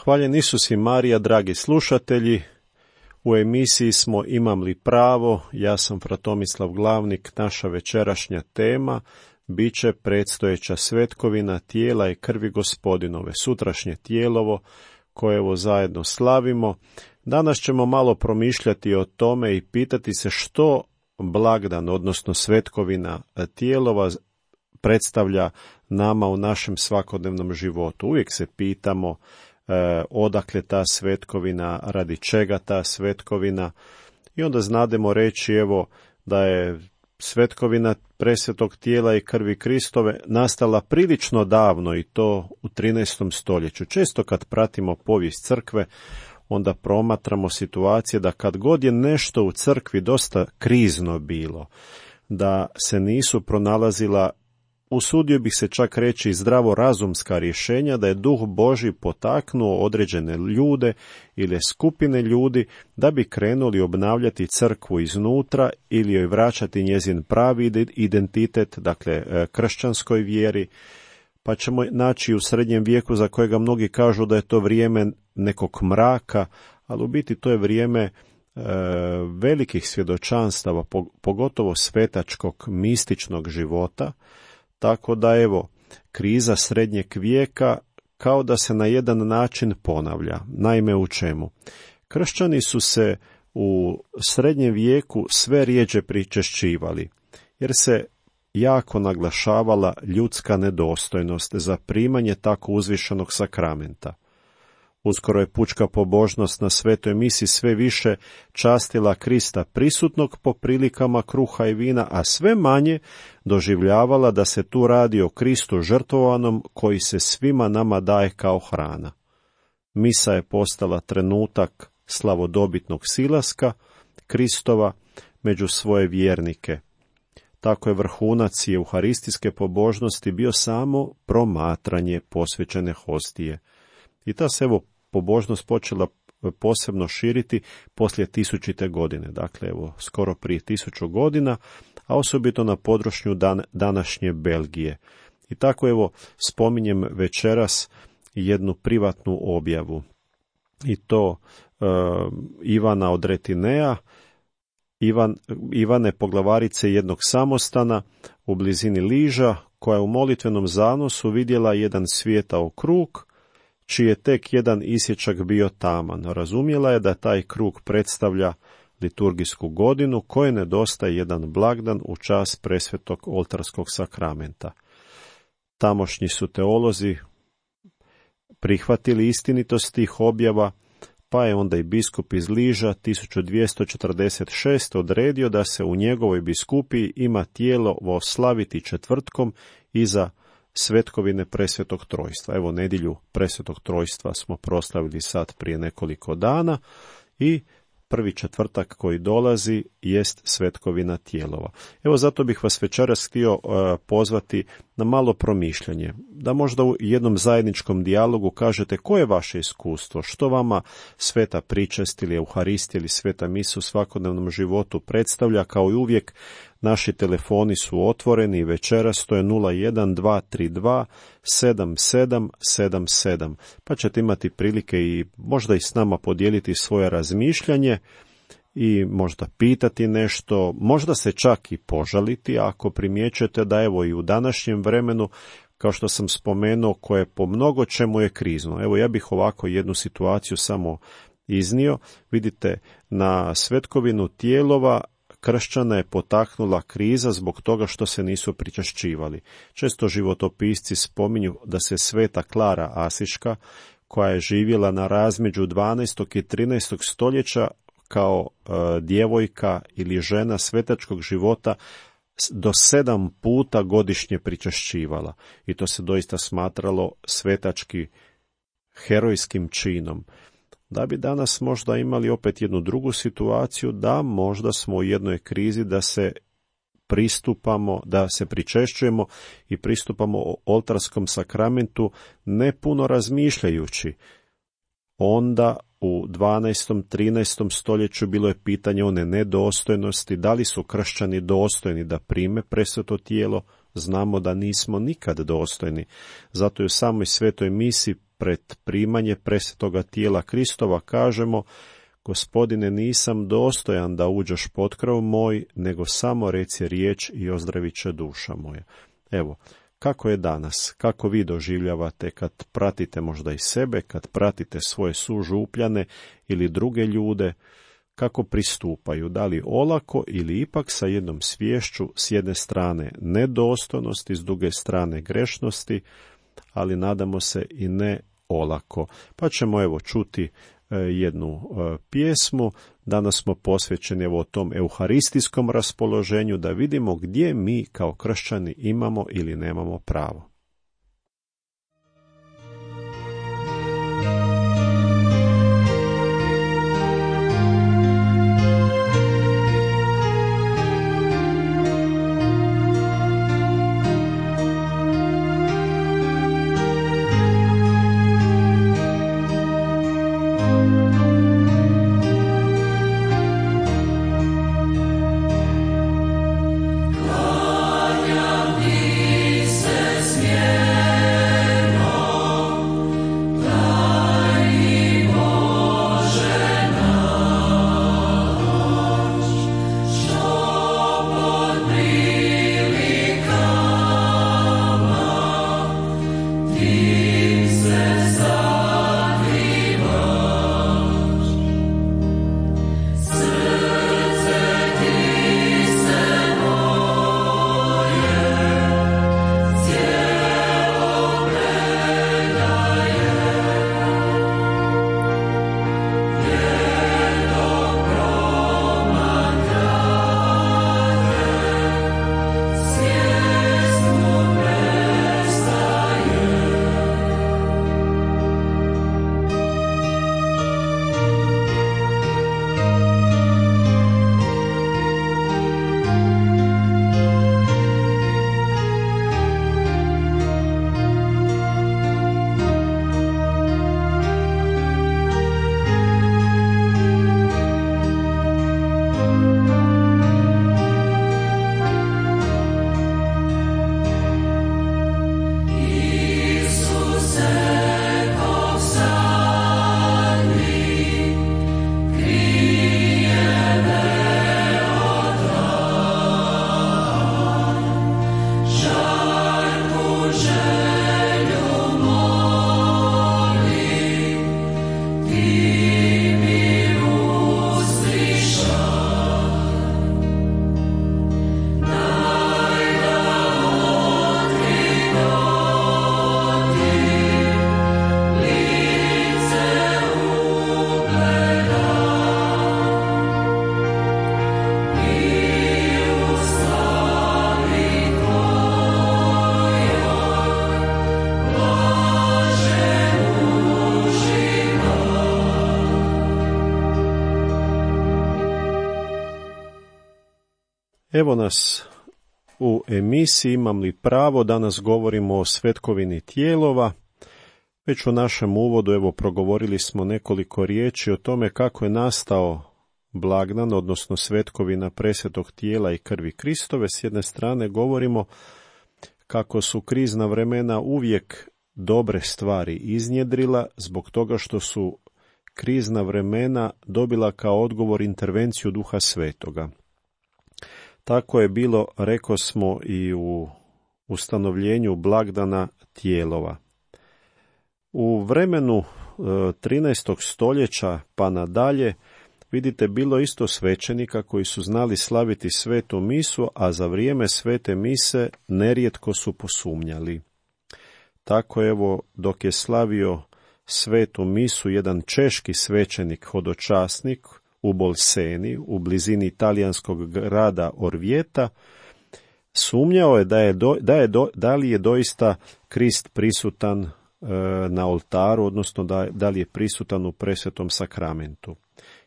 Hvaljen Isus i Marija, dragi slušatelji. U emisiji smo Imam li pravo? Ja sam fra Tomislav Glavnik. Naša večerašnja tema bit će predstojeća svetkovina tijela i krvi Gospodinove, sutrašnje tijelovo koje evo zajedno slavimo. Danas ćemo malo promišljati o tome i pitati se što blagdan, odnosno svetkovina tijelova predstavlja nama u našem svakodnevnom životu. Uvijek se pitamo odakle ta svetkovina, radi čega ta svetkovina, i onda znademo reći evo da je svetkovina presvetog tijela i krvi Kristove nastala prilično davno, i to u 13. stoljeću. Često kad pratimo povijest crkve, onda promatramo situacije da kad god je nešto u crkvi dosta krizno bilo, da se nisu pronalazila, usudio bih se čak reći, zdravorazumska rješenja, da je Duh Božji potaknuo određene ljude ili skupine ljudi da bi krenuli obnavljati crkvu iznutra ili joj vraćati njezin pravi identitet, dakle kršćanskoj vjeri. Pa ćemo naći u srednjem vijeku, za kojega mnogi kažu da je to vrijeme nekog mraka, ali u biti to je vrijeme velikih svjedočanstava, pogotovo svetačkog, mističnog života. Tako da evo, kriza srednjeg vijeka kao da se na jedan način ponavlja. Naime, u čemu? Kršćani su se u srednjem vijeku sve rjeđe pričešćivali, jer se jako naglašavala ljudska nedostojnost za primanje tako uzvišenog sakramenta. Uskoro je pučka pobožnost na svetoj misi sve više častila Krista prisutnog po prilikama kruha i vina, a sve manje doživljavala da se tu radi o Kristu žrtvovanom koji se svima nama daje kao hrana. Misa je postala trenutak slavodobitnog silaska Kristova među svoje vjernike. Tako je vrhunac euharistijske pobožnosti bio samo promatranje posvećene hostije. I ta se evo pobožnost počela posebno širiti poslije 1000. godine, dakle evo skoro prije 1000 godina, a osobito na području današnje Belgije. I tako evo spominjem večeras jednu privatnu objavu, i to Ivana od Retinea, Ivane poglavarice jednog samostana u blizini Liža, koja je u molitvenom zanosu vidjela jedan svijetao krug, čiji je tek jedan isječak bio taman. Razumjela je da taj krug predstavlja liturgijsku godinu koje nedostaje jedan blagdan u čast presvetog oltarskog sakramenta. Tamošnji su teolozi prihvatili istinitost tih objava, pa je onda i biskup iz Liža 1246. odredio da se u njegovoj biskupiji ima tijelovo slaviti četvrtkom iza svetkovine presvetog trojstva. Evo, nedjelju presvetog trojstva smo proslavili sad prije nekoliko dana i prvi četvrtak koji dolazi jest svetkovina tijelova. Evo, zato bih vas večeras htio pozvati na malo promišljanje, da možda u jednom zajedničkom dijalogu kažete koje je vaše iskustvo, što vama sveta pričest ili euharistija ili sveta misa u svakodnevnom životu predstavlja. Kao i uvijek, naši telefoni su otvoreni i večeras to je 01232 7777, pa ćete imati prilike i možda i s nama podijeliti svoje razmišljanje i možda pitati nešto, možda se čak i požaliti ako primjećujete da evo i u današnjem vremenu, kao što sam spomenuo, koje po mnogo čemu je krizno. Evo, ja bih ovako jednu situaciju samo iznio. Vidite, na svetkovinu tijelova kršćana je potaknula kriza zbog toga što se nisu pričašćivali. Često životopisci spominju da se sveta Klara Asiška, koja je živjela na razmeđu 12. i 13. stoljeća kao djevojka ili žena svetačkog života, do 7 puta godišnje pričašćivala. I to se doista smatralo svetački herojskim činom. Da bi danas možda imali opet jednu drugu situaciju, da možda smo u jednoj krizi da se pričešćujemo i pristupamo oltarskom sakramentu ne puno razmišljajući. Onda u 12. 13. stoljeću bilo je pitanje one nedostojnosti, da li su kršćani dostojni da prime presveto tijelo. Znamo da nismo nikad dostojni. Zato je u samoj svetoj misi pred primanje presvetoga tijela Kristova kažemo: Gospodine, nisam dostojan da uđeš pod krov moj, nego samo reci riječ i ozdravit će duša moja. Evo, kako je danas, kako vi doživljavate kad pratite možda i sebe, kad pratite svoje sužupljane ili druge ljude, kako pristupaju, da li olako ili ipak sa jednom sviješću, s jedne strane nedostojnosti, s druge strane grešnosti, ali nadamo se i ne olako. Pa ćemo evo čuti jednu pjesmu. Danas smo posvećeni evo tom euharistijskom raspoloženju, da vidimo gdje mi kao kršćani imamo ili nemamo pravo. Evo nas u emisiji Imam li pravo, danas govorimo o svetkovini tijelova. Već u našem uvodu evo progovorili smo nekoliko riječi o tome kako je nastao blagdan, odnosno svetkovina presvetog tijela i krvi Kristove. S jedne strane govorimo kako su krizna vremena uvijek dobre stvari iznjedrila, zbog toga što su krizna vremena dobila kao odgovor intervenciju Duha Svetoga. Tako je bilo, rekosmo, i u ustanovljenju blagdana tijelova. U vremenu 13. stoljeća pa nadalje, vidite, bilo isto svećenika koji su znali slaviti svetu misu, a za vrijeme svete mise nerijetko su posumnjali. Tako evo, dok je slavio svetu misu jedan češki svećenik hodočasnik u Bolseni, u blizini italijanskog grada Orvijeta, sumnjao je da li je doista Krist prisutan na oltaru, odnosno da li je prisutan u presvetom sakramentu.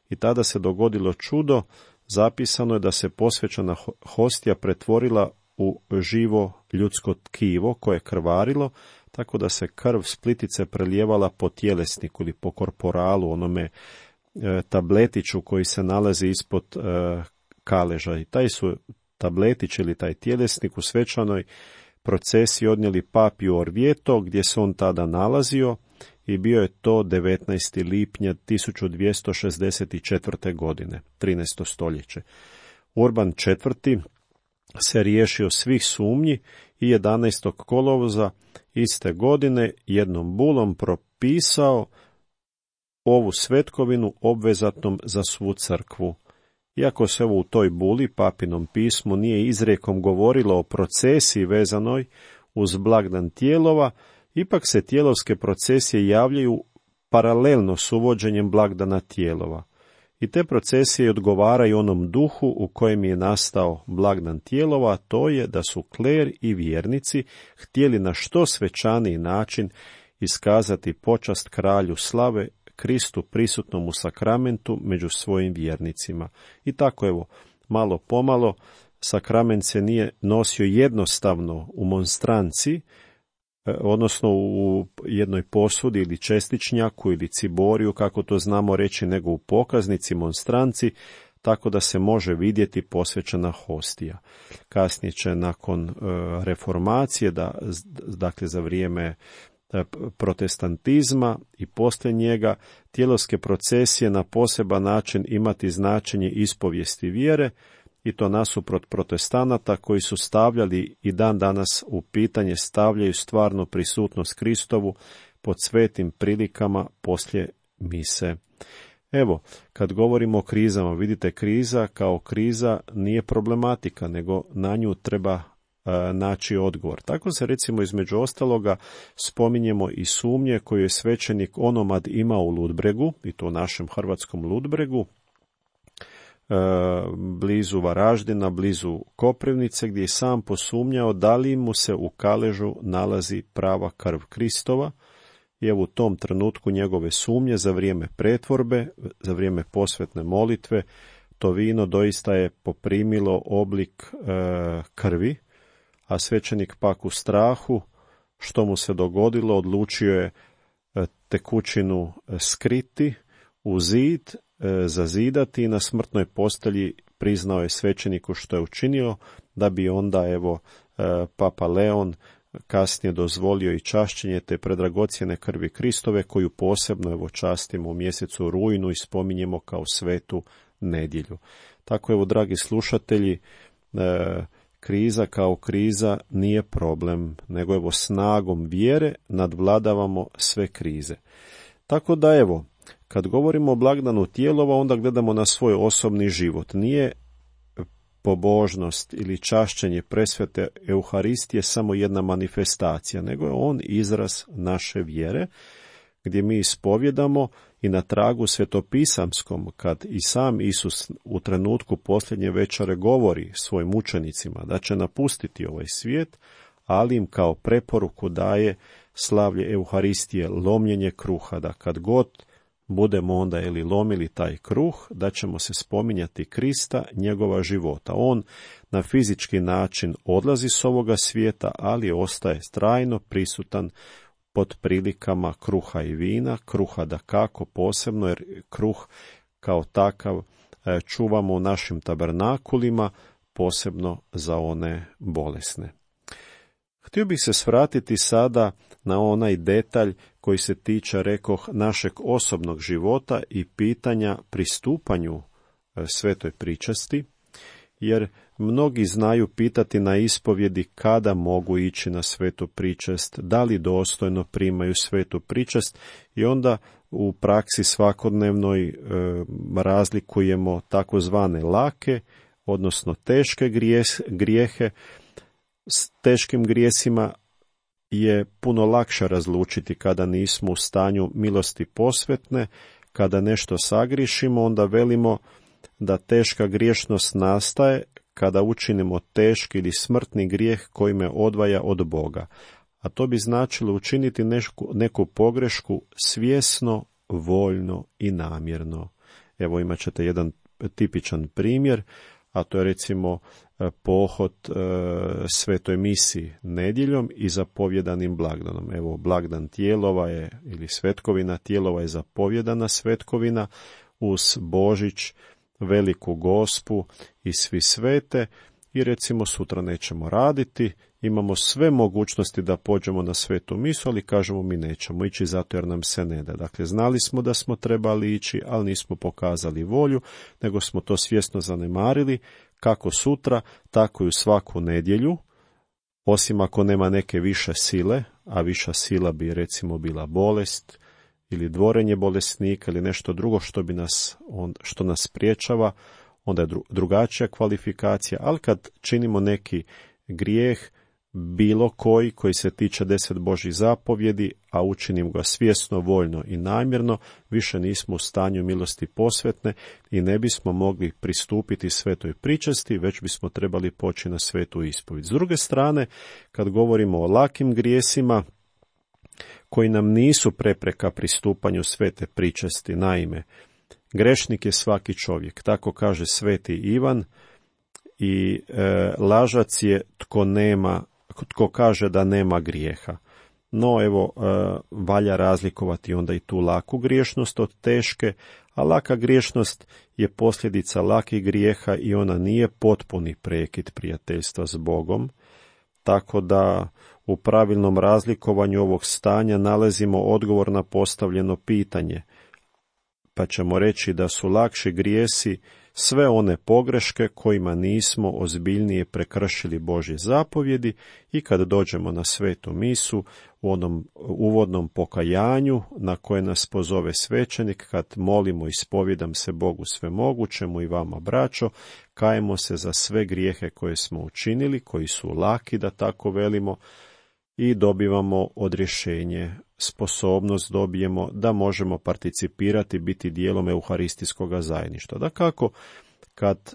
I tada se dogodilo čudo, zapisano je da se posvećena hostija pretvorila u živo ljudsko tkivo koje je krvarilo, tako da se krv s plitice prelijevala po tjelesniku ili po korporalu, onome tabletiću koji se nalazi ispod kaleža. I taj su tabletić ili taj tjelesnik u svečanoj procesiji odnijeli papi u Orvieto, gdje se on tada nalazio, i bio je to 19. lipnja 1264. godine, 13. stoljeće. Urban IV. Se riješio svih sumnji i 11. kolovoza iste godine jednom bulom propisao ovu svetkovinu obvezatnom za svu crkvu. Iako se u toj buli, papinom pismu, nije izrijekom govorilo o procesiji vezanoj uz blagdan tijelova, ipak se tijelovske procesije javljaju paralelno s uvođenjem blagdana tijelova. I te procesije odgovaraju onom duhu u kojem je nastao blagdan tijelova, a to je da su kler i vjernici htjeli na što svečaniji način iskazati počast kralju slave, Kristu prisutnom u sakramentu među svojim vjernicima. I tako evo, malo pomalo, sakrament se nije nosio jednostavno u monstranci, odnosno u jednoj posudi ili čestičnjaku ili ciboriju, kako to znamo reći, nego u pokaznici, monstranci, tako da se može vidjeti posvećena hostija. Kasnije će nakon reformacije, dakle za vrijeme protestantizma i poslije njega, tijelovske procesije na poseban način imati značenje ispovijesti vjere, i to nasuprot protestanata koji su stavljali i dan danas u pitanje stavljaju stvarno prisutnost Kristovu pod svetim prilikama poslije mise. Evo, kad govorimo o krizama, vidite, kriza kao kriza nije problematika, nego na nju treba naći odgovor. Tako se recimo između ostaloga spominjemo i sumnje koju je svećenik Onomad imao u Ludbregu, i to u našem hrvatskom Ludbregu, blizu Varaždina, blizu Koprivnice, gdje je sam posumnjao da li mu se u kaležu nalazi prava krv Kristova. I evo u tom trenutku njegove sumnje za vrijeme pretvorbe, za vrijeme posvetne molitve, to vino doista je poprimilo oblik krvi, a svećenik pak u strahu što mu se dogodilo odlučio je tekućinu skriti u zid, zazidati i na smrtnoj postelji priznao je svećeniku što je učinio, da bi onda evo Papa Leon kasnije dozvolio i čašćenje te predragocjene krvi Kristove, koju posebno evo častimo u mjesecu rujnu i spominjemo kao svetu nedjelju. Tako evo, dragi slušatelji, kriza kao kriza nije problem, nego evo snagom vjere nadvladavamo sve krize. Tako da evo, kad govorimo o blagdanu tijelova, onda gledamo na svoj osobni život. Nije pobožnost ili čašćenje presvete Euharistije samo jedna manifestacija, nego je on izraz naše vjere, gdje mi ispovjedamo i na tragu svetopisamskom, kad i sam Isus u trenutku posljednje večere govori svojim učenicima da će napustiti ovaj svijet, ali im kao preporuku daje slavlje Euharistije, lomljenje kruha, da kad god budemo onda lomili taj kruh, da ćemo se spominjati Krista, njegova života. On na fizički način odlazi s ovoga svijeta, ali ostaje trajno prisutan pod prilikama kruha i vina, kruha dakako posebno, jer kruh kao takav čuvamo u našim tabernakulima, posebno za one bolesne. Htio bih se svratiti sada na onaj detalj koji se tiče, rekoh, našeg osobnog života i pitanja pristupanju svetoj pričasti, jer mnogi znaju pitati na ispovjedi kada mogu ići na svetu pričast, da li dostojno primaju svetu pričast, i onda u praksi svakodnevnoj razlikujemo takozvane lake, odnosno teške grijehe. S teškim grijesima je puno lakše razlučiti kada nismo u stanju milosti posvetne. Kada nešto sagriješimo, onda velimo da teška griješnost nastaje kada učinimo teški ili smrtni grijeh koji me odvaja od Boga. A to bi značilo učiniti neku pogrešku svjesno, voljno i namjerno. Evo imat ćete jedan tipičan primjer, a to je recimo pohod svetoj misi nedjeljom i zapovjedanim blagdanom. Evo, blagdan tijelova je, ili svetkovina tijelova je zapovjedana svetkovina uz Božić, Veliku Gospu i svi svete, i recimo sutra nećemo raditi, imamo sve mogućnosti da pođemo na svetu misu, ali kažemo mi nećemo ići zato jer nam se ne da. Dakle, znali smo da smo trebali ići, ali nismo pokazali volju, nego smo to svjesno zanemarili, kako sutra, tako i u svaku nedjelju, osim ako nema neke više sile, a viša sila bi recimo bila bolest ili dvorenje bolesnika ili nešto drugo što nas spriječava, onda je drugačija kvalifikacija, ali kad činimo neki grijeh, bilo koji se tiče 10 Božjih zapovjedi, a učinim ga svjesno, voljno i namjerno, više nismo u stanju milosti posvetne i ne bismo mogli pristupiti svetoj pričesti, već bismo trebali poći na svetu ispovijed. S druge strane, kad govorimo o lakim grijesima, koji nam nisu prepreka pristupanju svete pričesti, naime, grešnik je svaki čovjek, tako kaže sveti Ivan, i lažac je tko kaže da nema grijeha. No evo, valja razlikovati onda i tu laku griješnost od teške, a laka griješnost je posljedica lakih grijeha i ona nije potpuni prekid prijateljstva s Bogom, tako da u pravilnom razlikovanju ovog stanja nalazimo odgovor na postavljeno pitanje, pa ćemo reći da su lakši grijesi sve one pogreške kojima nismo ozbiljnije prekršili Božje zapovjedi i kad dođemo na svetu misu u onom uvodnom pokajanju na koje nas pozove svećenik, kad molimo i ispovjedam se Bogu svemogućemu i vama braćo, kajemo se za sve grijehe koje smo učinili, koji su laki da tako velimo, i dobivamo odrješenje, sposobnost dobijemo da možemo participirati, biti dijelom euharistijskog zajedništva. Dakako, kad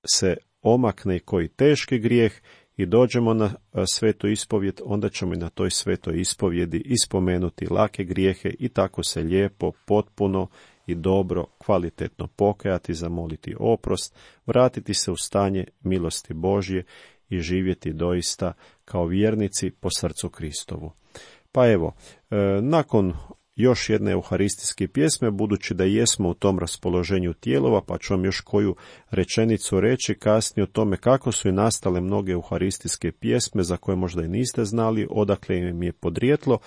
se omakne koji teški grijeh i dođemo na svetu ispovjed, onda ćemo i na toj svetoj ispovjedi ispomenuti lake grijehe i tako se lijepo, potpuno i dobro, kvalitetno pokajati, zamoliti oprost, vratiti se u stanje milosti Božje i živjeti doista kao vjernici po srcu Kristovu. Pa evo, nakon još jedne euharistijske pjesme, budući da jesmo u tom raspoloženju tijelova, pa ću vam još koju rečenicu reći kasnije o tome kako su i nastale mnoge euharistijske pjesme za koje možda i niste znali, odakle im je podrijetlo.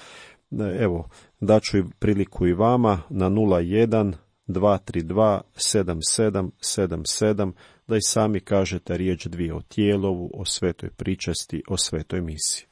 Evo, daću priliku i vama na 01 232 7777 da i sami kažete riječ dvije o tijelovu, o svetoj pričesti, o svetoj misi.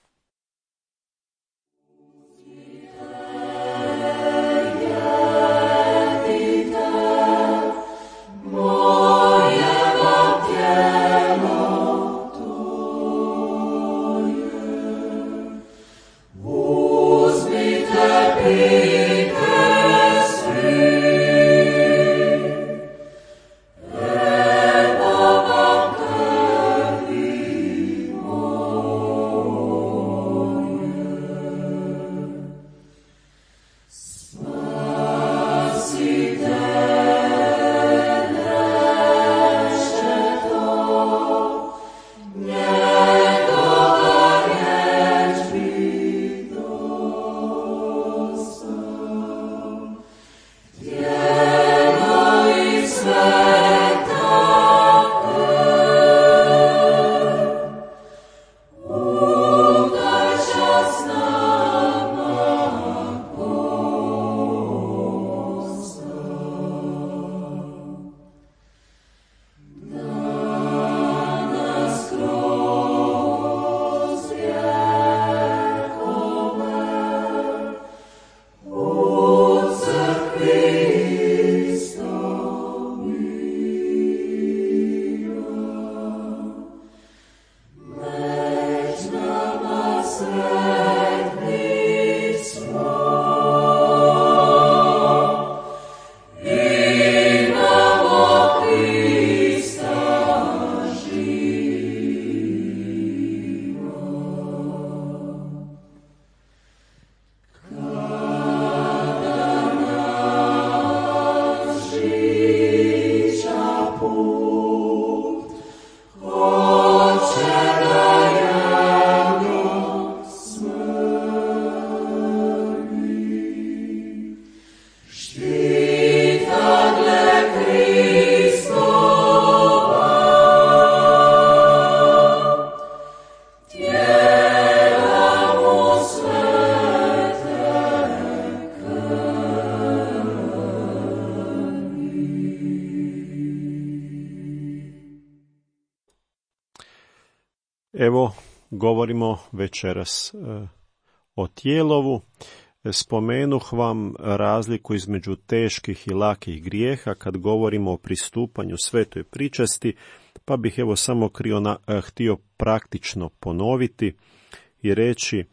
Evo, govorimo večeras o tijelovu. Spomenuh vam razliku između teških i lakih grijeha kad govorimo o pristupanju svetoj pričesti, pa bih evo samo htio praktično ponoviti i reći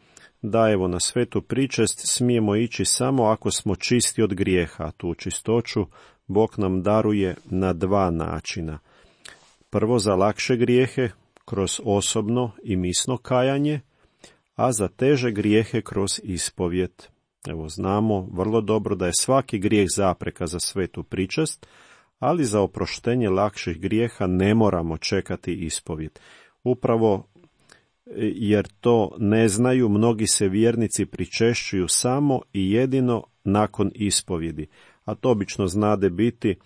da evo na svetu pričest smijemo ići samo ako smo čisti od grijeha. Tu čistoću Bog nam daruje na dva načina. Prvo za lakše grijehe, kroz osobno i misno kajanje, a za teže grijehe kroz ispovijed. Evo, znamo vrlo dobro da je svaki grijeh zapreka za svetu pričest, ali za oproštenje lakših grijeha ne moramo čekati ispovijed. Upravo jer to ne znaju, mnogi se vjernici pričešćuju samo i jedino nakon ispovjedi, a to obično znade biti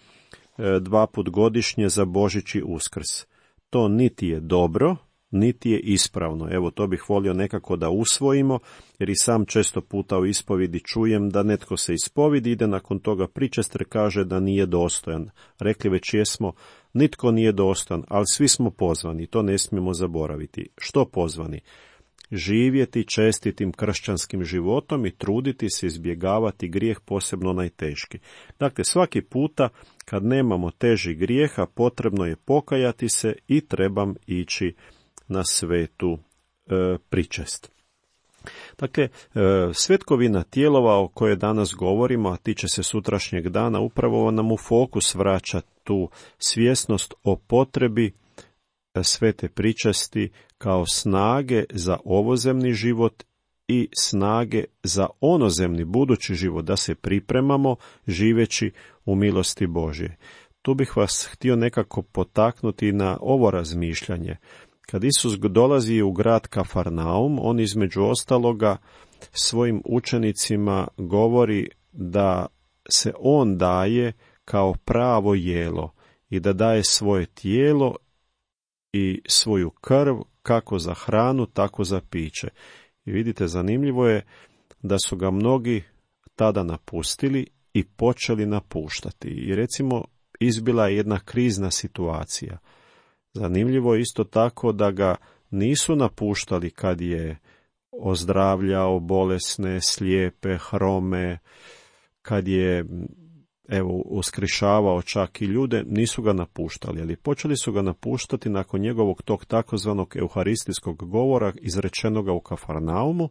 2 puta godišnje za Božić i Uskrs. To niti je dobro, niti je ispravno. Evo, to bih volio nekako da usvojimo, jer i sam često puta u ispovjedi čujem da netko se ispovidi, ide nakon toga pričest, kaže da nije dostojan. Rekli već jesmo, nitko nije dostojan, ali svi smo pozvani, to ne smijemo zaboraviti. Što pozvani? Živjeti čestitim kršćanskim životom i truditi se izbjegavati grijeh, posebno najteški. Dakle, svaki puta kad nemamo težih grijeha, potrebno je pokajati se i trebam ići na svetu pričest. Dakle, svetkovina tijelova o kojoj danas govorimo, a tiče se sutrašnjeg dana, upravo nam u fokus vraća tu svjesnost o potrebi svete pričesti kao snage za ovozemni život i snage za onozemni budući život, da se pripremamo živeći u milosti Božje. Tu bih vas htio nekako potaknuti na ovo razmišljanje. Kad Isus dolazi u grad Kafarnaum, on između ostaloga svojim učenicima govori da se on daje kao pravo jelo i da daje svoje tijelo i svoju krv kako za hranu, tako za piće. I vidite, zanimljivo je da su ga mnogi tada napustili i počeli napuštati. I recimo, izbila je jedna krizna situacija. Zanimljivo je isto tako da ga nisu napuštali kad je ozdravljao bolesne, slijepe, hrome, kad je uskrišavao čak i ljude, nisu ga napuštali, ali počeli su ga napuštati nakon njegovog tog takozvanog euharistijskog govora izrečenoga u Kafarnaumu,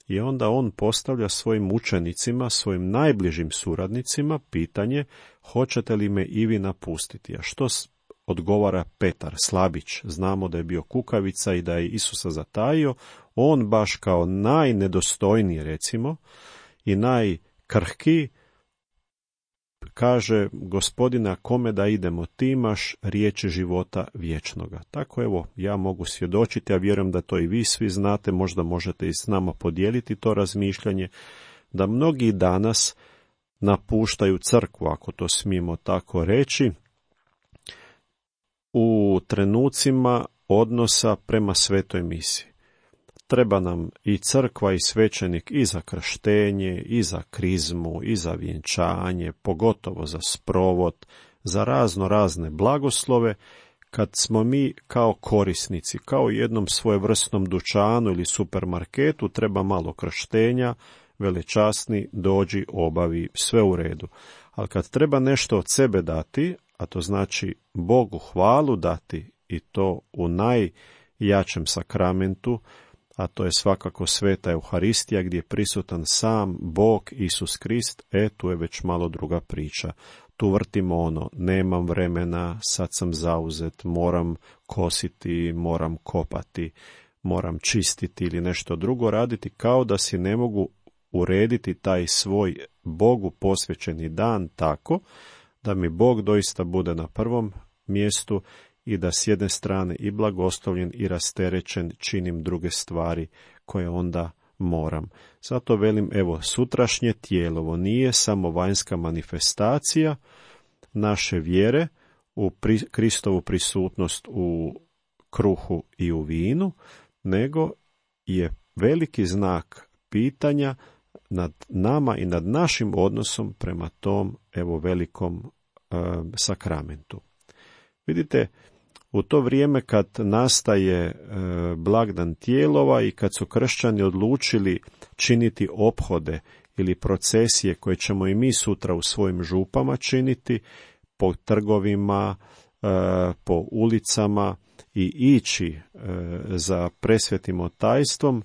i onda on postavlja svojim učenicima, svojim najbližim suradnicima pitanje: hoćete li me i vi napustiti? A što odgovara Petar, slabić? Znamo da je bio kukavica i da je Isusa zatajio. On baš kao najnedostojniji, recimo, i najkrhkiji kaže: Gospodina, kome da idemo, ti imaš riječi života vječnoga. Tako evo, ja mogu svjedočiti, a vjerujem da to i vi svi znate, možda možete i s nama podijeliti to razmišljanje, da mnogi danas napuštaju crkvu, ako to smijemo tako reći, u trenucima odnosa prema svetoj misiji. Treba nam i crkva i svećenik i za krštenje, i za krizmu, i za vjenčanje, pogotovo za sprovod, za razne blagoslove, kad smo mi kao korisnici, kao u jednom svojevrsnom dućanu ili supermarketu, treba malo krštenja, velečasni, dođi, obavi, sve u redu. Ali kad treba nešto od sebe dati, a to znači Bogu hvalu dati, i to u najjačem sakramentu, a to je svakako sveta Euharistija, gdje je prisutan sam Bog Isus Krist, tu je već malo druga priča. Tu vrtimo nemam vremena, sad sam zauzet, moram kositi, moram kopati, moram čistiti ili nešto drugo raditi, kao da si ne mogu urediti taj svoj Bogu posvećeni dan tako da mi Bog doista bude na prvom mjestu i da s jedne strane i blagoslovljen i rasterećen činim druge stvari koje onda moram. Zato velim, evo, sutrašnje tijelovo nije samo vanjska manifestacija naše vjere u Kristovu prisutnost u kruhu i u vinu, nego je veliki znak pitanja nad nama i nad našim odnosom prema tom, evo, velikom sakramentu. Vidite, U to vrijeme kad nastaje blagdan tijelova i kad su kršćani odlučili činiti ophode ili procesije koje ćemo i mi sutra u svojim župama činiti, po trgovima, po ulicama i ići za presvetim otajstvom,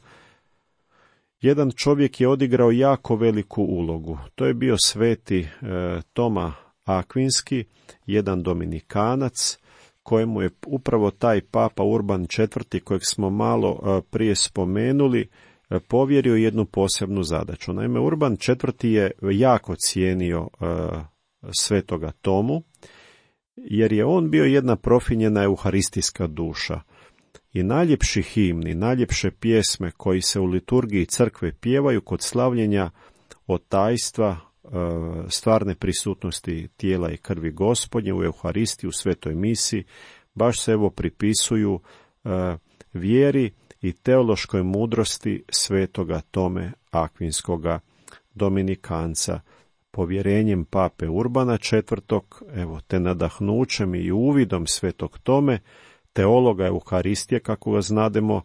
jedan čovjek je odigrao jako veliku ulogu. To je bio sveti Toma Akvinski, jedan dominikanac, kojemu je upravo taj papa Urban IV, kojeg smo malo prije spomenuli, povjerio jednu posebnu zadaću. Naime, Urban IV je jako cijenio svetoga Tomu, jer je on bio jedna profinjena euharistijska duša. I najljepši himni, najljepše pjesme koji se u liturgiji crkve pjevaju kod slavljenja otajstva, stvarne prisutnosti tijela i krvi Gospodnje u Euharistiji, u svetoj misi, baš se evo pripisuju vjeri i teološkoj mudrosti svetoga Tome Akvinskoga dominikanca. Povjerenjem pape Urbana IV, evo, te nadahnućem i uvidom svetog Tome, teologa Euharistije, kako ga znademo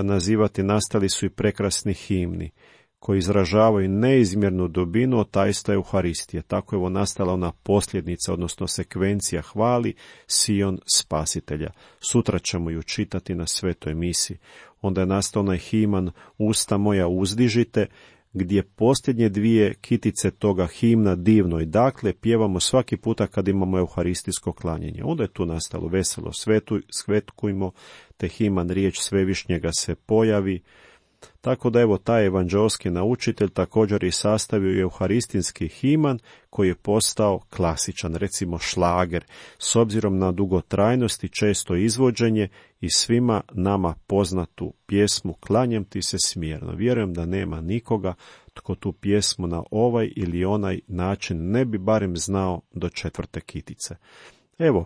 nazivati, nastali su i prekrasni himni koji izražavaju neizmjernu dubinu otajstva Euharistije. Tako je nastala ona posljednica, odnosno sekvencija hvali Sion Spasitelja. Sutra ćemo ju čitati na svetoj misi. Onda je nastao onaj himan Usta moja uzdižite, gdje posljednje dvije kitice toga himna divno i dakle pjevamo svaki puta kad imamo euharistijsko klanjenje. Onda je tu nastalo veselo svetkujmo, te himan riječ Svevišnjega se pojavi. Tako da evo taj evanđeoski naučitelj također je sastavio euharistinski himan koji je postao klasičan, recimo šlager, s obzirom na dugotrajnost i često izvođenje i svima nama poznatu pjesmu Klanjam ti se smjerno. Vjerujem da nema nikoga tko tu pjesmu na ovaj ili onaj način ne bi barem znao do 4. kitice. Evo,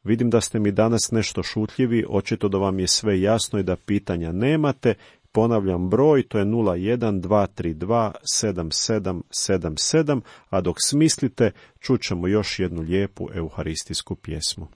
vidim da ste mi danas nešto šutljivi, očito da vam je sve jasno i da pitanja nemate. Ponavljam broj, to je 012327777, a dok smislite, čućemo još jednu lijepu euharistijsku pjesmu.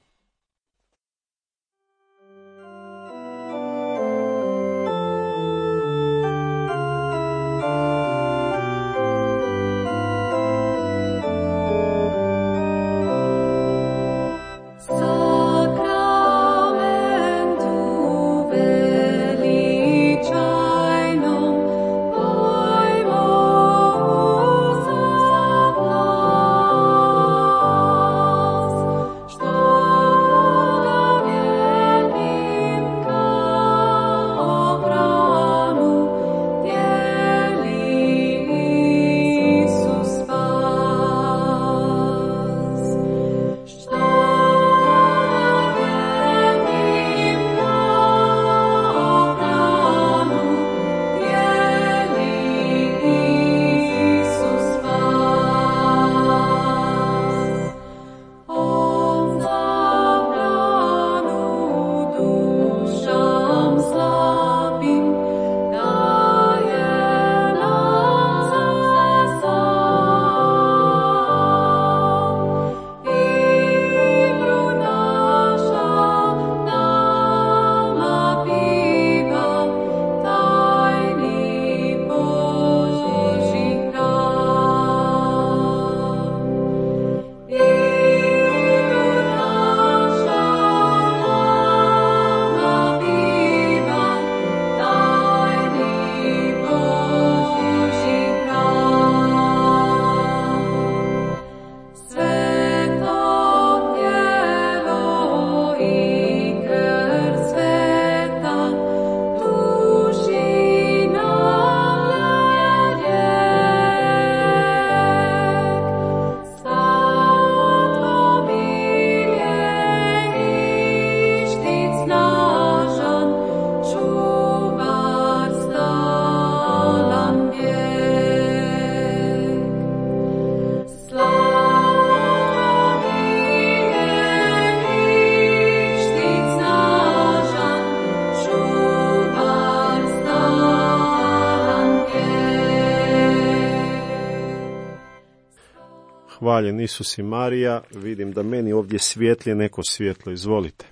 Hvaljen Isus i Marija, vidim da meni ovdje svijetli neko svjetlo, izvolite.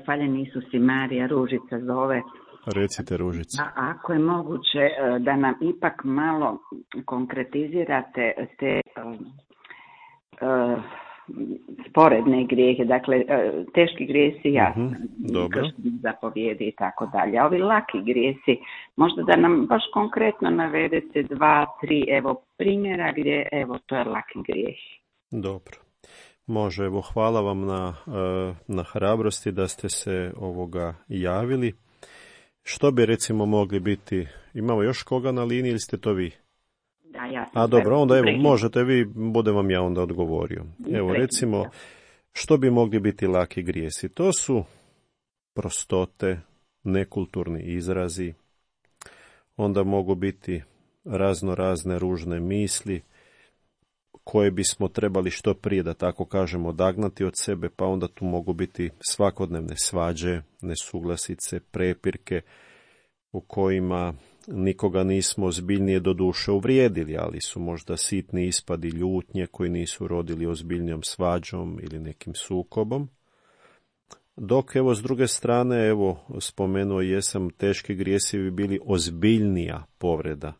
Faljen Isus i Marija, Ružica zove. Recite, Ružica. Ako je moguće da nam ipak malo konkretizirate te sporedne grijehe, dakle teški grijesi, jasno, krštenje zapovjedi i tako dalje. A ovi laki grijesi, možda da nam baš konkretno navedete 2, 3 primjera gdje to je laki grijeh. Dobro. Može, hvala vam na hrabrosti da ste se javili. Što bi recimo mogli biti? Imamo još koga na liniji ili ste to vi? Da, ja sam. Dobro, onda možete vi, budem vam ja onda odgovorio. Recimo, što bi mogli biti laki grijesi? To su prostote, nekulturni izrazi, onda mogu biti razne ružne misli, koje bismo trebali što prije, da tako kažemo, odagnati od sebe, pa onda tu mogu biti svakodnevne svađe, nesuglasice, prepirke u kojima nikoga nismo ozbiljnije do duše uvrijedili, ali su možda sitni ispadi ljutnje koji nisu rodili ozbiljnijom svađom ili nekim sukobom. Dok s druge strane, spomenuo jesam, teški grijesi bi bili ozbiljnija povreda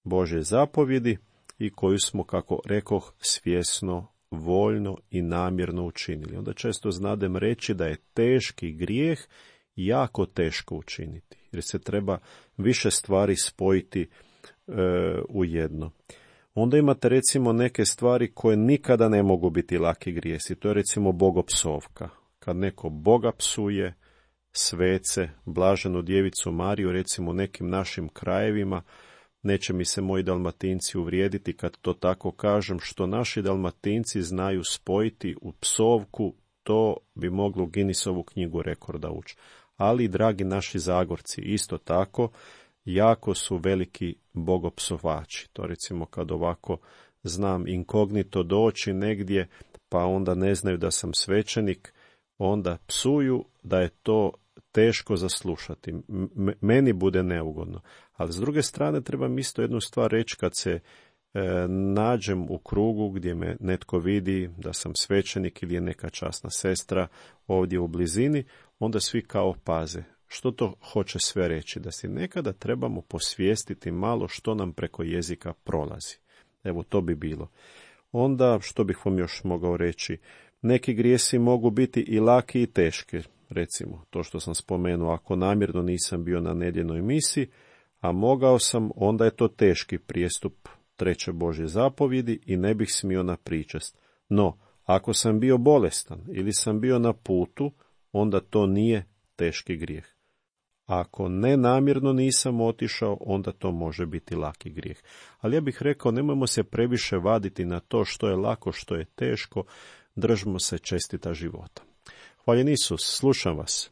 Božje zapovjedi i koju smo, kako rekoh, svjesno, voljno i namjerno učinili. Onda često znadem reći da je teški grijeh jako teško učiniti, jer se treba više stvari spojiti u jedno. Onda imate recimo neke stvari koje nikada ne mogu biti laki grijesi. To je recimo bogopsovka. Kad neko Boga psuje, svece, blaženu djevicu Mariju, recimo u nekim našim krajevima, neće mi se moji Dalmatinci uvrijediti kad to tako kažem, što naši Dalmatinci znaju spojiti u psovku, to bi moglo u Guinnessovu knjigu rekorda ući. Ali, dragi naši Zagorci, isto tako, jako su veliki bogopsovači. To recimo kad ovako znam inkognito doći negdje, pa onda ne znaju da sam svećenik, onda psuju da je to teško zaslušati. Meni bude neugodno. Ali s druge strane trebam isto jednu stvar reći, kad se nađem u krugu gdje me netko vidi da sam svećenik ili je neka časna sestra ovdje u blizini, onda svi kao paze. Što to hoće sve reći? Da si nekada trebamo posvijestiti malo što nam preko jezika prolazi. To bi bilo. Onda, što bih vam još mogao reći, neki grijesi mogu biti i laki i teški. Recimo, to što sam spomenuo, ako namjerno nisam bio na nedjeljnoj misi, a mogao sam, onda je to teški prijestup 3. Božje zapovjedi i ne bih smio na pričest. No, ako sam bio bolestan ili sam bio na putu, onda to nije teški grijeh. Ako nenamjerno nisam otišao, onda to može biti laki grijeh. Ali ja bih rekao, nemojmo se previše vaditi na to što je lako, što je teško, držimo se čestita života. Hvaljen Isus, slušam vas.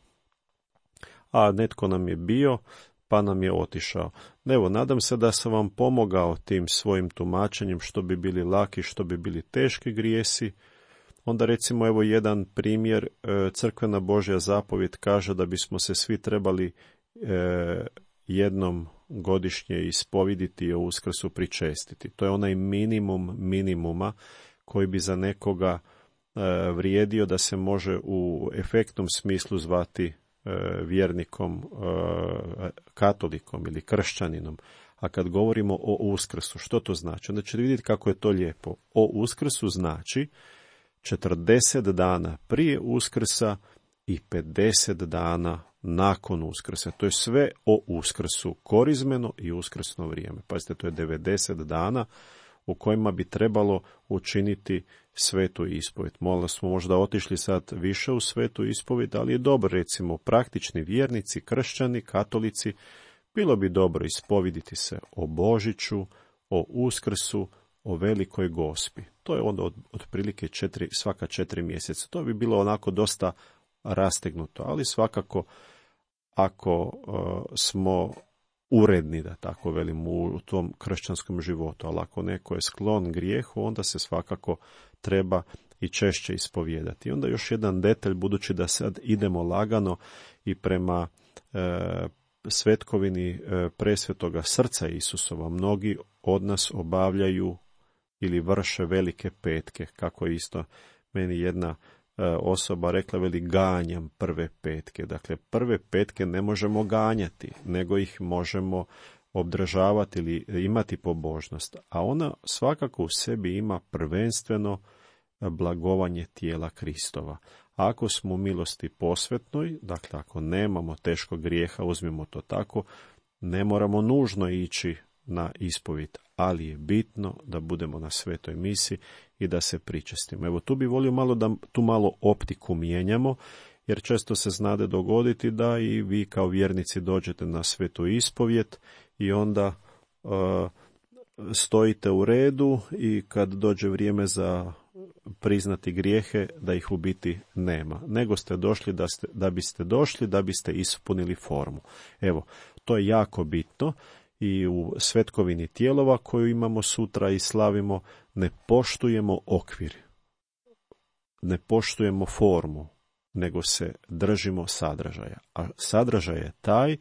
A netko nam je bio, pa nam je otišao. Nadam se da sam vam pomogao tim svojim tumačenjem što bi bili laki, što bi bili teški grijesi. Onda recimo jedan primjer, crkvena Božja zapovjed kaže da bismo se svi trebali jednom godišnje ispoviditi i o Uskrsu pričestiti. To je onaj minimum minimuma koji bi za nekoga vrijedio da se može u efektnom smislu zvati vjernikom, katolikom ili kršćaninom. A kad govorimo o Uskrsu, što to znači? Onda ćete vidjeti kako je to lijepo. O Uskrsu znači 40 dana prije Uskrsa i 50 dana nakon Uskrsa. To je sve o Uskrsu, korizmeno i uskrsno vrijeme. Pazite, to je 90 dana u kojima bi trebalo učiniti svetu ispovjed. Smo možda otišli sad više u svetu ispovjed, ali je dobro, recimo, praktični vjernici, kršćani, katolici, bilo bi dobro ispoviditi se o Božiću, o Uskrsu, o Velikoj Gospi. To je onda otprilike svaka 4 mjeseca. To bi bilo onako dosta rastegnuto, ali svakako ako smo uredni, da tako velim, u tom kršćanskom životu, ali ako neko je sklon grijehu, onda se svakako treba i češće ispovijedati. I onda još jedan detalj, budući da sad idemo lagano i prema svetkovini presvetoga srca Isusova, mnogi od nas obavljaju ili vrše velike petke, kako isto meni jedna osoba rekla, veli, ganjam prve petke. Dakle, prve petke ne možemo ganjati, nego ih možemo obdržavati ili imati pobožnost. A ona svakako u sebi ima prvenstveno blagovanje tijela Kristova. Ako smo u milosti posvetnoj, dakle ako nemamo teškog grijeha, uzmimo to tako, ne moramo nužno ići na ispovijed, ali je bitno da budemo na svetoj misi i da se pričestimo. Evo, tu bi volio da tu malo optiku mijenjamo, jer često se znade dogoditi da i vi kao vjernici dođete na svetu ispovijed i onda stojite u redu i kad dođe vrijeme za priznati grijehe, da ih u biti nema. Nego ste došli da biste ispunili formu. Evo, to je jako bitno i u svetkovini tijelova koju imamo sutra i slavimo, ne poštujemo okvir, ne poštujemo formu, nego se držimo sadržaja. A sadržaj je taj,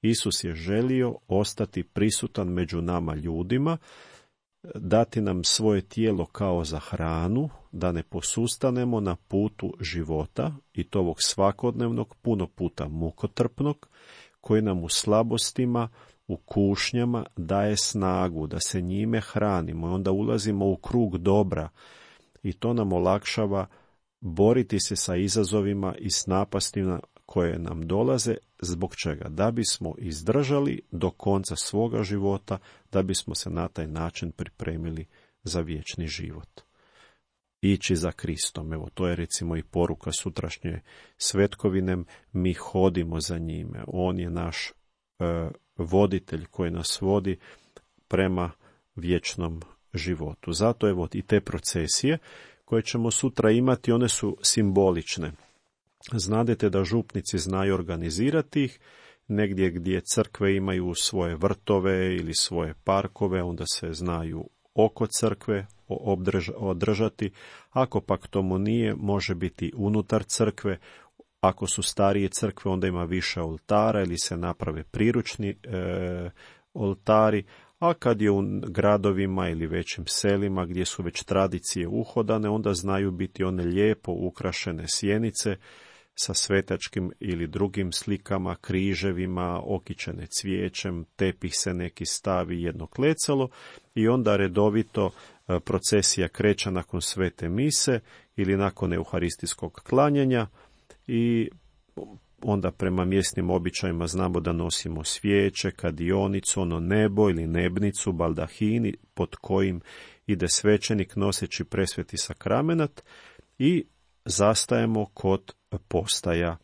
Isus je želio ostati prisutan među nama ljudima, dati nam svoje tijelo kao za hranu, da ne posustanemo na putu života, i to ovog svakodnevnog, puno puta mukotrpnog, koji nam u slabostima, u kušnjama daje snagu, da se njime hranimo i onda ulazimo u krug dobra i to nam olakšava boriti se sa izazovima i s napastima koje nam dolaze. Zbog čega? Da bismo izdržali do konca svoga života, da bismo se na taj način pripremili za vječni život. Ići za Kristom. Evo, to je recimo i poruka sutrašnje svetkovine. Mi hodimo za njime. On je naš voditelj koji nas vodi prema vječnom životu. Zato evo i te procesije koje ćemo sutra imati, one su simbolične. Znadete da župnici znaju organizirati ih, negdje gdje crkve imaju svoje vrtove ili svoje parkove, onda se znaju oko crkve održati. Ako pak tomu nije, može biti unutar crkve. Ako su starije crkve, onda ima više oltara ili se naprave priručni oltari, a kad je u gradovima ili većim selima gdje su već tradicije uhodane, onda znaju biti one lijepo ukrašene sjenice sa svetačkim ili drugim slikama, križevima, okićene cvijećem, tepih se neki stavi, jedno klecalo i onda redovito procesija kreće nakon svete mise ili nakon euharistijskog klanjanja i onda prema mjesnim običajima znamo da nosimo svijeće, kadionicu, ono nebo ili nebnicu, baldahini pod kojim ide svećenik noseći presveti sakramenat i zastajemo kod postaja.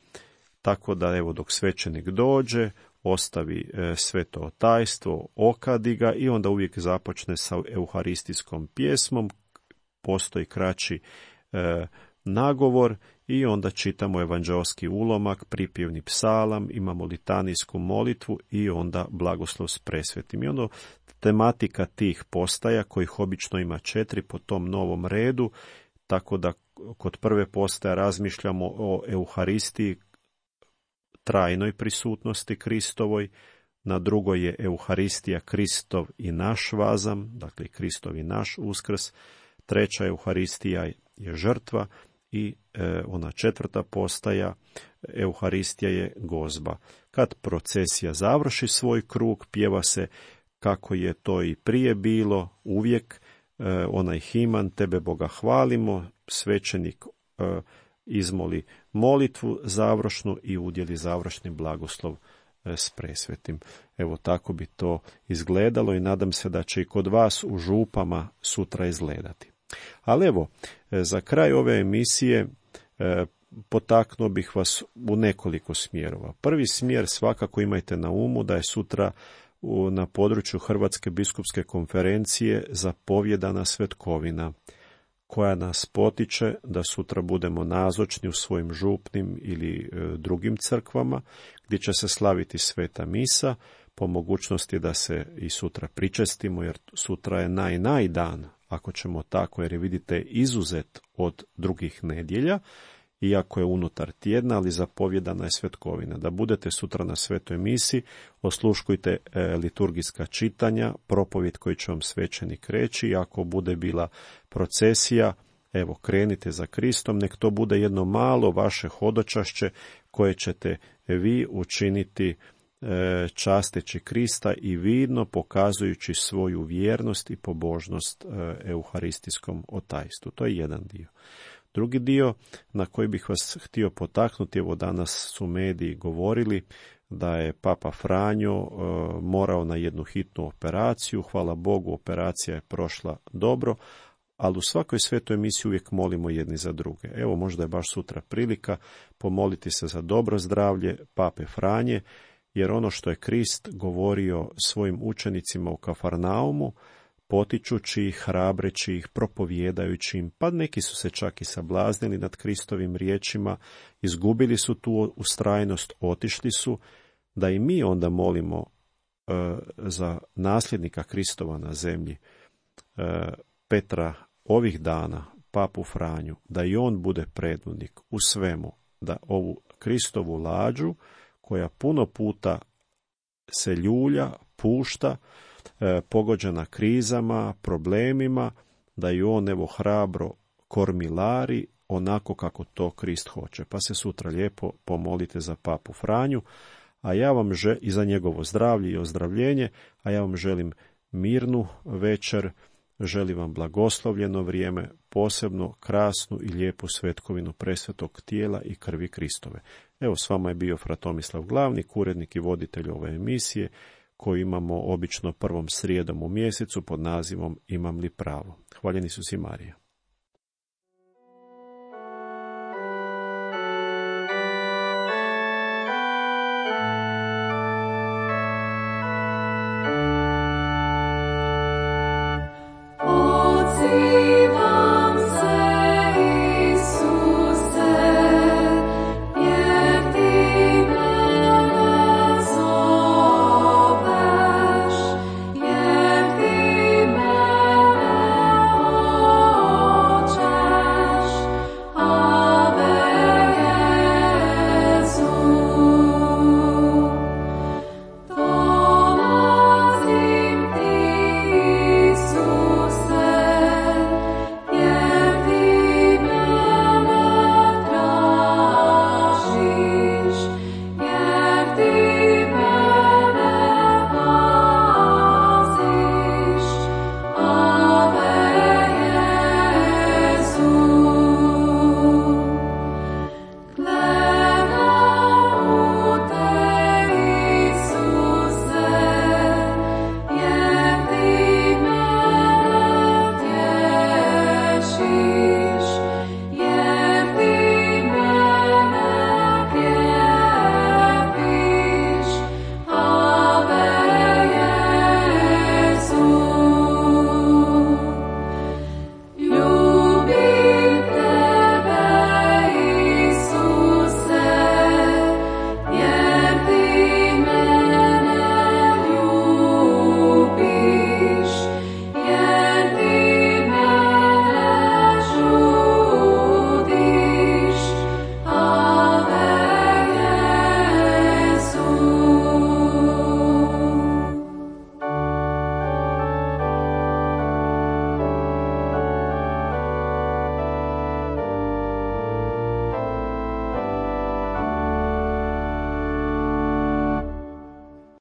Tako da evo dok svećenik dođe, ostavi sveto otajstvo, okadi ga i onda uvijek započne sa euharistijskom pjesmom, postoji kraći nagovor i onda čitamo evanđeoski ulomak, pripjevni psalam, imamo litanijsku molitvu i onda blagoslov s presvetim. I onda tematika tih postaja, kojih obično ima 4 po tom novom redu, tako da kod prve postaje razmišljamo o euharistiji, trajnoj prisutnosti Kristovoj, na drugoj je euharistija Kristov i naš vazam, dakle Kristov i naš uskrs, treća euharistija je žrtva i ona četvrta postaja, euharistija je gozba. Kad procesija završi svoj krug, pjeva se kako je to i prije bilo, uvijek onaj himan, tebe Boga hvalimo, svećenik izmoli molitvu završnu i udjeli završni blagoslov s presvetim. Evo tako bi to izgledalo i nadam se da će i kod vas u župama sutra izgledati. Ali evo, za kraj ove emisije potaknuo bih vas u nekoliko smjerova. Prvi smjer svakako imajte na umu da je sutra na području Hrvatske biskupske konferencije zapovjedana svetkovina, koja nas potiče da sutra budemo nazočni u svojim župnim ili drugim crkvama, gdje će se slaviti sveta misa, po mogućnosti da se i sutra pričestimo, jer sutra je naj dan, ako ćemo tako, jer je, vidite, izuzet od drugih nedjelja, iako je unutar tjedna, ali zapovjedana je svetkovina. Da budete sutra na svetoj misi, osluškujte liturgijska čitanja, propovjed koji će vam svećenik reći, i ako bude bila procesija, Evo, krenite za Kristom, nek to bude jedno malo vaše hodočašće koje ćete vi učiniti časteći Krista i vidno pokazujući svoju vjernost i pobožnost euharistijskom otajstvu. To je jedan dio. Drugi dio na koji bih vas htio potaknuti, evo danas su mediji govorili da je Papa Franjo morao na jednu hitnu operaciju. Hvala Bogu, operacija je prošla dobro, ali u svakoj svetoj emisiji uvijek molimo jedni za druge. Evo, možda je baš sutra prilika pomoliti se za dobro zdravlje Pape Franje, jer ono što je Krist govorio svojim učenicima u Kafarnaumu, potičući ih, hrabreći ih, propovijedajući im, pa neki su se čak i sablaznili nad Kristovim riječima, izgubili su tu ustrajnost, otišli su, da i mi onda molimo za nasljednika Kristova na zemlji, Petra ovih dana, Papu Franju, da i on bude predvodnik u svemu, da ovu Kristovu lađu, koja puno puta se ljulja, pušta, pogođena krizama, problemima, da i on evo hrabro kormilari onako kako to Krist hoće. Pa se sutra lijepo pomolite za Papu Franju, a ja vam i za njegovo zdravlje i ozdravljenje, a ja vam želim mirnu večer, želim vam blagoslovljeno vrijeme, posebno krasnu i lijepu svetkovinu presvetog tijela i krvi Kristove. Evo, s vama je bio Fra Tomislav Glavnik, urednik i voditelj ove emisije, koju imamo obično prvom srijedom u mjesecu pod nazivom Imam li pravo? Hvaljeni su si Marija.